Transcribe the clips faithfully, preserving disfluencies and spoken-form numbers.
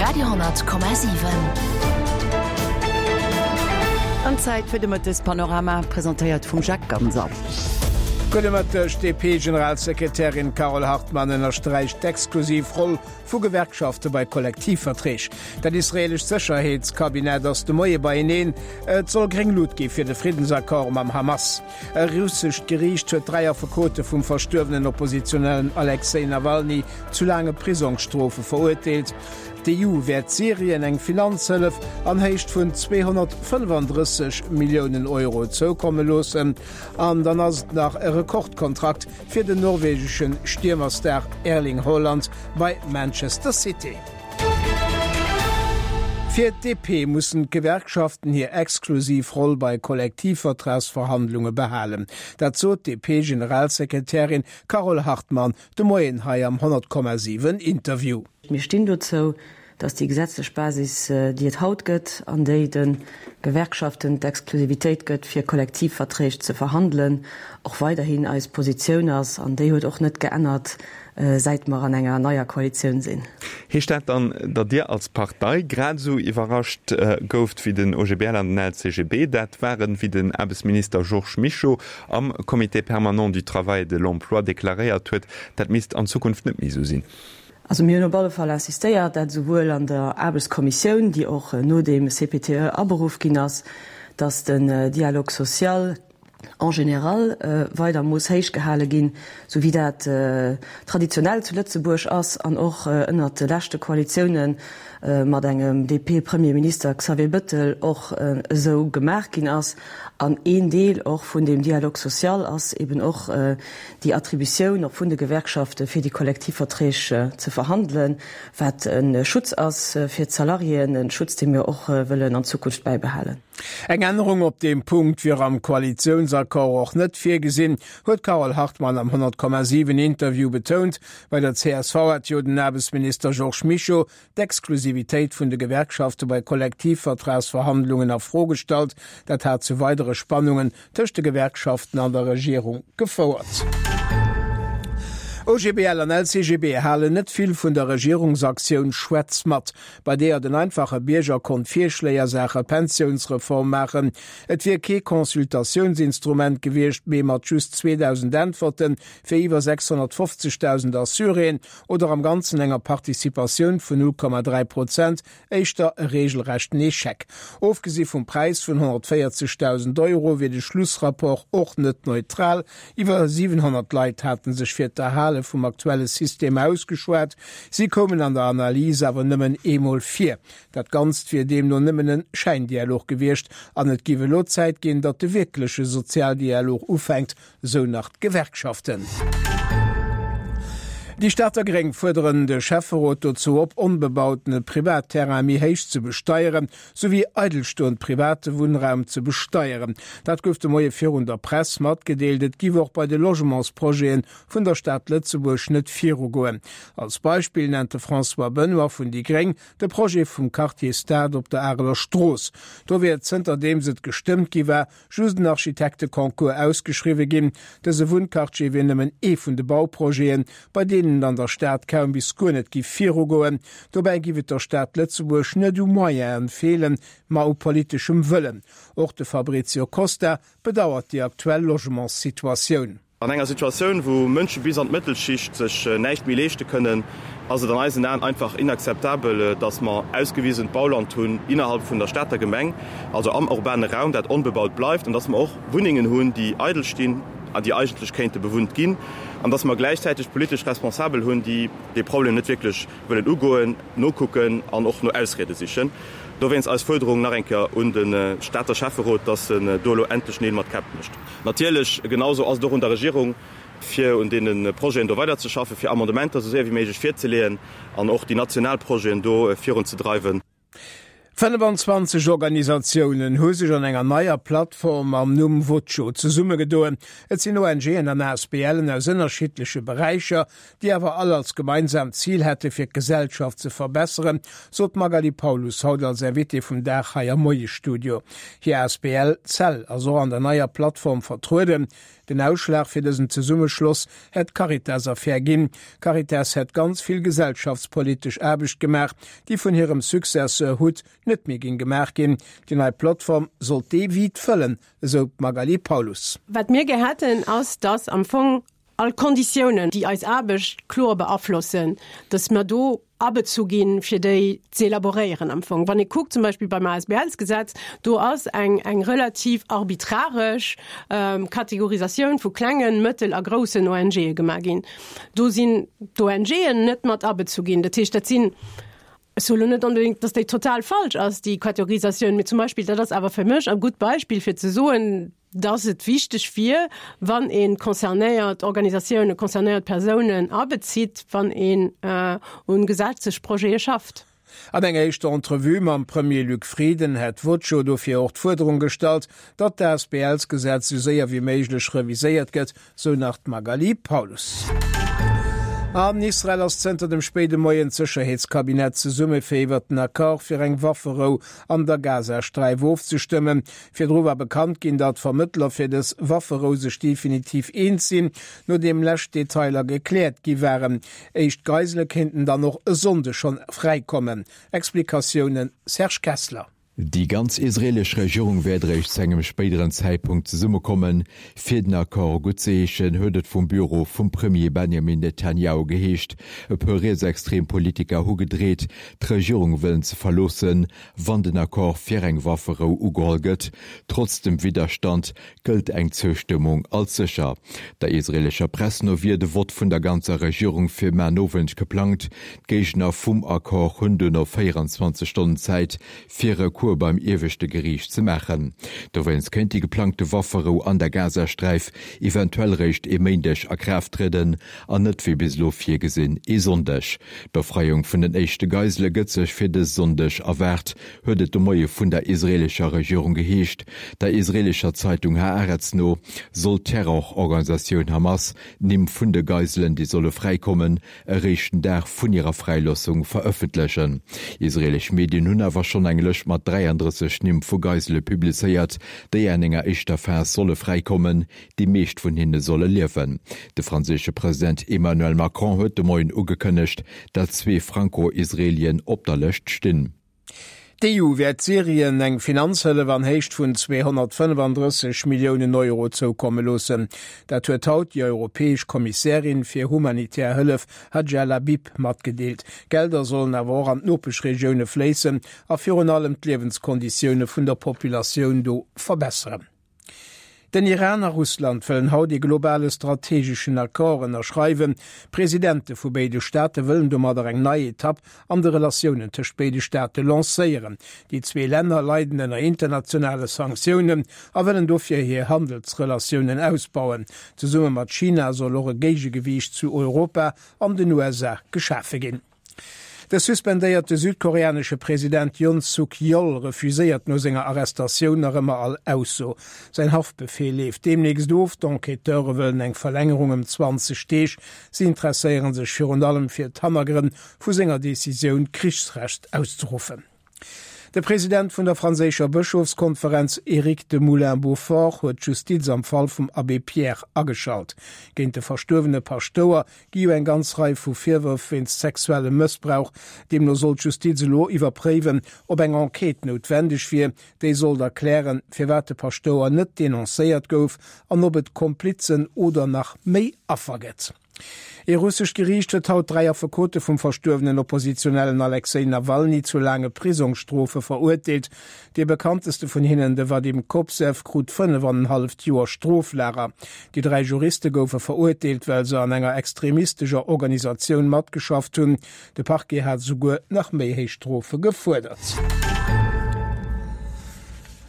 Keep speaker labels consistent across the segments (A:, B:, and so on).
A: Radio honnert Komma siwen.
B: An Zäit fir de Mëttespanorama, presentéiert vum Jacques Ganser.
C: Gudde Mëtteg, D'DP-Generalsekretärin Carole Hartmann ënnersträicht d'exklusiv Roll vu Gewerkschafte bei Kollektivverträg. Dat israeelescht Sécherheetskabinett ass de Moie beieneen. Et soll gréng Lut gi fir de Friddensaccord mam Hamas. E russescht Geriicht huet dräi Affekote vum verstuerwenen Oppositionellen Alexej Nawalny zu laange Prisongsstrofe verurteelt. D'EU wäert Syrien eng Finanzhëllef an Héicht vun zweehonnertfënnefandrësseg Milliounen Euro zoukomme loossen. An dann ass et nach e Rekordkontrakt fir den norwegesche Stiermerstar Erling Haaland bei Manchester City. Fir d'DP mussen d'Gewerkschaften hir exklusiv Roll bei Kollektivvertragsverhandlunge behalen. Dat sot d'DP-Generalsekretärin Carole Hartmann de Moien hei am honnert Komma siwen Interview.
D: Mir stinn dozou, datt déi gesetzlech Basis, déi et haut gëtt an déi de Gewerkschaften d'Exklusivitéit gëtt, fir Kollektivverträg ze verhandelen, och weiderhin eis Positioun ass. An déi huet och net geännert, säit mer an enger neier Koalitioun sinn.
E: Heescht dat dann, datt Dir als Partei grad esou iwwerrascht gouft wéi den O G B L an den L C G B dat waren, wéi den Aarbechtsminister Georges Mischo am Comité permanent du travail et de l'emploi deklaréiert huet, dat misst an Zukunft net méi esou sinn?
D: Also mir hunn op alle Fall insistéiert, dat esouwuel an der Aarbechtskommissioun, déi och no deem C P T E aberuff ginn ass, datt den Dialogue social en général weider muss héich gehale ginn, sou wéi dat traditionell zu Lëtzebuerg ass an och ënnert de leschte Koalitioune mat engem D P-Premierminister Xavier Bettel och esou gemaach ginn ass. An een Deel och vun deem Dialogue social ass eben och déi Attributioun och vun de Gewerkschafte fir déi Kollektivverträg ze verhandelen, wat e Schutz ass fir d'Salariéen, e Schutz, dee mir och wëllen an Zukunft bäibehalen.
C: Eng Ännerung op deem Punkt wier am Koalitiounsaccord och net virgesinn, huet d'Carole Hartmann am honnert Komma siwen Interview betount. Bei der C S V hat jo den Aarbechtsminister Georges Mischo d'Exklusivitéit vun de Gewerkschafte bei Kollektivvertragsverhandlungen a Fro gestallt. Dat hat zu weidere Spannungen tëscht de Gewerkschaften an der Regierung gefouert. O G B L an L C G B halen net vill vun der Regierungsaktioun Schwätz mat, bei deeër den einfache Bierger konnt Virschléi a Saache Pensiounsreform maachen. Et wier kee Consultatiounsinstrument gewiescht, mee mat just zweedausend Äntwerte fir iwwer sechshonnertfofzegdausend Assuréen oder am Ganzen enger Participatioun vun null Komma dräi Prozent éischter e reegelrechten Echec. Ofgesi vum Präis vun honnertvéierzegdausend Euro wier de Schlussrapport och net neutral. Iwwer siwenhonnert Leit hate sech fir d'Erhale vum aktuelle System ausgeschwat, si koumen an der Analys awer nëmmen eemol vir. Dat Ganzt wier deemno nëmmen e Schäindialog gewiescht an et géif elo Zäit ginn, datt de wierkleche Sozialdialog ufänkt, sou nach d'Gewerkschaften. Déi Stater Gréng fuerderen de Schäfferot dozou op, onbebautene Privatterrain méi héich ze besteieren, souwéi eidelstoend private Wunnraum ze besteieren. Dat gouf de Moie virun der Press matgedeelt. Et giff och bei de Logementsprojete vun der Stad Lëtzebuerg net virugoen. Als Beispill nennt de François Benoy vun déi Gréng de Projet vum Quartier Stad op der Areler Strooss. Do wier zënterdeems et gestëmmt gi war, just en Architekteconcours ausgeschriwwe ginn. Dëse Wunnquartier wier nëmmen ee vun de Bauprojeten, bei deenen et an der Stad kaum bis guer net giff virugoen. Dobäi giff et der Stad Lëtzebuerg net u Moyene feelen, ma u politeschem Wëllen. Och de Fabrizio Costa bedauert déi aktuell Logementssituatioun.
F: An enger Situatioun, wou Mënsche bis an d'Mëttelschicht sech näischt méi leeschte kënnen, ass et an eisen Aen einfach inakzeptabel, dass mer ausgewisent Bauland hunn innerhalb vun der Stater Gemeng, also am urbane Raum, dat onbebaut bleift, an dass mer och Wunnengen hunn, déi eidel stinn an déi eigentlech kéinte bewunnt ginn, an dass mer gläichzäiteg politesch Responsabel hunn, déi dee Problem net wierklech wëllen ugoen, nokucken an och no Ausriede sichen. Dowéinst eis Fuerderung nach eng Kéier un de Stater Schäfferot, dass en do elo endlech Neel mat Käpp mécht. Natierlech, genausou ass et och un der Regierung, fir un deene Projeten do weiderzeschaffen, fir Amendementer esou séier wéi méiglech virzeleeën an och déi national Projeten do virunzedreiwen.
C: Fënnefenzwanzeg Organisatiounen hu sech an enger neier Plattform mam Numm Voco zesummegedoen. Et sinn ONGen an ASBLen aus ënnerschiddleche Beräicher, déi awer all als gemeinsaamt Zil hätte fir d'Gesellschaft ze verbesseren, sot d'Magali Paulus haut als Invitée vum Dag hei am Moiesstudio. Hir Asbl Cell ass och an der neier Plattform vertrueden. Den Ausschlag fir dësen Zesummeschloss hätt d'Caritas-Affär ginn. D'Caritas hätt ganz vill gesellschaftspolitesch Aarbecht gemaach, déi vun hirem Successeur Hutt net méi géing gemaach ginn. Déi nei Plattform sollt dee Vide fëllen, esou d'Magali Paulus.
A: Wat mir gär hätten, ass, dass am Fong all Konditiounen, déi eis Aarbecht kloer beaflossen, dass mer do abezu ginn, fir déi ze elaboréieren am Fong. Wann ee kuckt zum Beispill beim ASBLs-Gesetz, do ass eng, eng relativ arbitraresch Kategorisatioun vu klengen, mëttel a groussen ONGe gemaach ginn. Do sinn d'ONGen net mat abezu ginn. Dat heescht, dat sinn, ech soe lo net onbedéngt, dass déi total falsch ass, déi Kategorisatioun, mee zum Beispill, dat ass awer fir mech e gutt Beispill fir ze soen, dass et wichteg wier, wann ee concernéiert Organisatiounen, concernéiert Persounen abezitt, wann een un Gesetzesprojete schafft.
C: An enger éischter Entrevue mam Premier Luc Frieden hätt Voco dofir och d'Fuerderung gestallt, datt d'ASBLsgesetz esou séier wéi méiglech reviséiert gëtt, sou nach d'Magali Paulus. An Israel ass zënter dem spéide Moien d'Sécherheetskabinett zesumme fir iwwert den Accord fir eng Wafferou an der Gazasträif ofzestëmmen. Virdru war bekannt ginn, datt d'Vermëttler fir dës Wafferou sech definitiv eens sinn, nodeem lescht Detailer gekläert gi waren. Éischt Geisele kéinten dann och e Sonnde schonn fräikommen. Explikatiounen Serge Kessler.
G: Déi ganz israelesch Regierung wäert eréischt zu engem spéideren Zäitpunkt zesummekommen, fir den Accord guttzeheeschen, huet et vum Büro vum Premier Benjamin Netanjahu geheescht. E puer rietsextrem Politiker hu gedreet, d'Regierung wëllen ze verloossen, wann den Accord fir eng Wafferou ugeholl gëtt. Trotz dem Widderstand gëllt eng Zoustëmmung als sécher. Der israelescher Press no wier de Vott vun der ganzer Regierung fir mar Nowend geplangt. D'Géigner vum Accord hunn duerno véieranzwanzeg Stonnen Zäit, fir Recours beim ieweschte Geriicht ze maachen. Dowéinst kéint déi geplangte Wafferou an der Gazasträif eventuell réischt e Méindeg a Kraaft trieden an net wéi bis elo virgesinn e Sonndeg. D'Befreiung vun den éischte Geisele gëtt sech fir dës Sonndeg erwaart, huet et de Moie vun der israeelescher Regierung geheescht. Der israeelescher Zeitung Haaretz no soll d'Terrororganisatioun Hamas d'Nimm vun de Geiselen, déi solle fräikommen, eréischt den Dag vun hirer Fräiloossung verëffentlechen. Israeelesch Medien hunn awer schonn eng Lëscht mat dräiandrësseg Nimm vu Geisele publizéiert, déi an enger éischter Phas solle fräikommen. Déi meescht vun hinne solle liewen. De franséische President Emmanuel Macron huet de Moien ugekënnegt, datt zwee Franco-Israelien op der Lëscht stinn.
C: D'EU wäert Syrien eng Finanzhëllef an Héicht vun zweehonnertfënnefandrësseg Milliounen Euro zoukomme loossen. Dat huet haut déi europäesch Kommissärin fir humanitär Hëllef Hadja Lahbib matgedeelt. D'Gelder sollen awer och an d'Nopeschregioune fléissen a virun allem d'Liewenskonditioune vun der Populatioun do verbesseren. Den Iran a Russland wëllen haut ee globale strategeschen Accord ënnerschreiwen. D'Presidente vu béide Staate wëllen domadder eng nei Etapp an de Relatiounen tëscht béide Staate lancéieren. Déi zwee Länner leiden ënner internationale Sanktiounen a wëllen dofir hir Handelsrelatiounen ausbauen. Zesumme mat China soll och e Géigegewiicht zu Europa an den U S A geschafe ginn. De suspendéierte südkoreanesche President Yoon Suk Yeol refuséiert no senger Arrestatioun nach ëmmer all Ausso. Säin Haftbefeel leeft deemnächst of, d'Enquêteure wëllen eng Verlängerung ëm zwanzeg Deeg. Si interesséiere sech virun allem fir d'Hannergrënn vu senger Decisioun, d'Krichsrecht auszeruffen. De President vun der franséischer Bëschofskonferenz Eric de Moulins-Beaufort huet d'Justiz am Fall vum Abbé Pierre ageschalt. Géint de verstuerwene Paschtouer gi jo eng ganz Rei vu Virwërf wéinst sexuellem Mëssbrauch. Deemno soll d'Justiz elo iwwerpréiwen, ob eng Enquête noutwendeg wier. Déi sollt erklären, firwat de Paschtouer net denoncéiert gouf an ob et Komplizen oder nach méi Affer gëtt. Ee russescht Geriicht huet haut dräi Affekote vum verstuerwenen Oppositionellen Alexej Nawalny zu laange Prisongsstrofe verurteelt. Dee bekannteste vun hinnen, de Wadim Kobzew, krut fënnef an en halleft Joer Stroflager. Déi dräi Juriste goufe verurteelt, well se an enger extremistescher Organisatioun matgeschafft hunn. De Parquet hat souguer nach méi héich Strofe gefuerdert.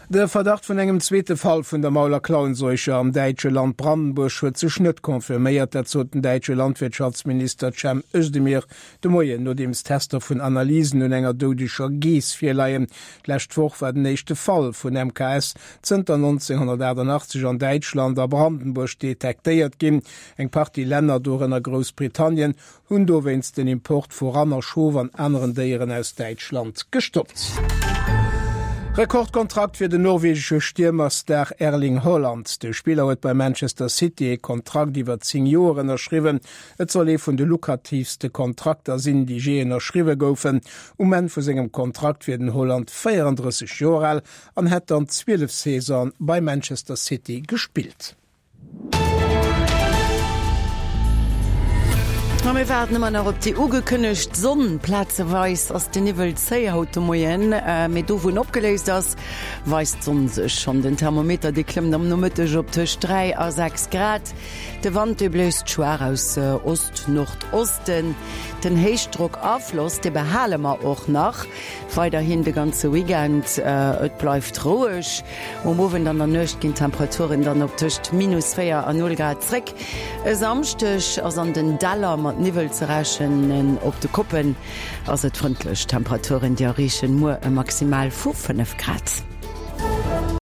C: De Verdacht vun engem zweete Fall vun der Maul a Klauenseuche am däitsche Land Brandenburg huet sech net confirméiert. Dat sot den däitsche Landwirtschaftsminister Cem Özdemir de Moien, nodeems Tester vun Analysen un enger doudeger Geess virleien. D'lescht Woch war den éischte Fall vun M K S zënter nonzénghonnertaachtenachtzeg an Däitschland a Brandenburg detektéiert ginn. Eng Partie Länner, dorënner Groussbritannien, hunn dowéinst den Import vu Ranner, Schof an aneren Déieren aus Däitschland gestoppt. Rekordkontrakt fir den norwegesche Stiermerstar Erling Haaland. De Spiller huet bei Manchester City e Kontrakt iwwer zéng Joer ënnerschriwwen. Et soll ee vun de lukratiivste Kontrakter sinn, déi jee ënnerschriwwe goufen. Um Enn vu sengem Kontrakt wier den Haaland véierandrësseg Joer al an hätt dann zwielef Saisone bei Manchester City gespillt.
B: A mir waarden ëmmer nach op déi ugekënnegt Sonn. Plazeweis ass de Niwwel zéi haut de Moien, mee do wou en opgeléist ass, weist d'Sonn sech schonn. Den Thermometer dee klëmmt am Nomëtteg op tëscht dräi a sechs Grad. De Wand dee bléist schwaach aus Ost-Nordosten. Den Héichdrockafloss dee behale mer och nach weiderhin de ganze Weekend. Et bleift roueg. Um Owend an der Nuecht ginn d'Temperaturen dann op tëscht minus véier a null Grad zréck. E Samschdeg ass an den Däller mat Niwwel ze rechnen, op de Koppen ass et frëndlech. D'Temperaturen déi erreechen muer e Maximal vu fënnef Grad.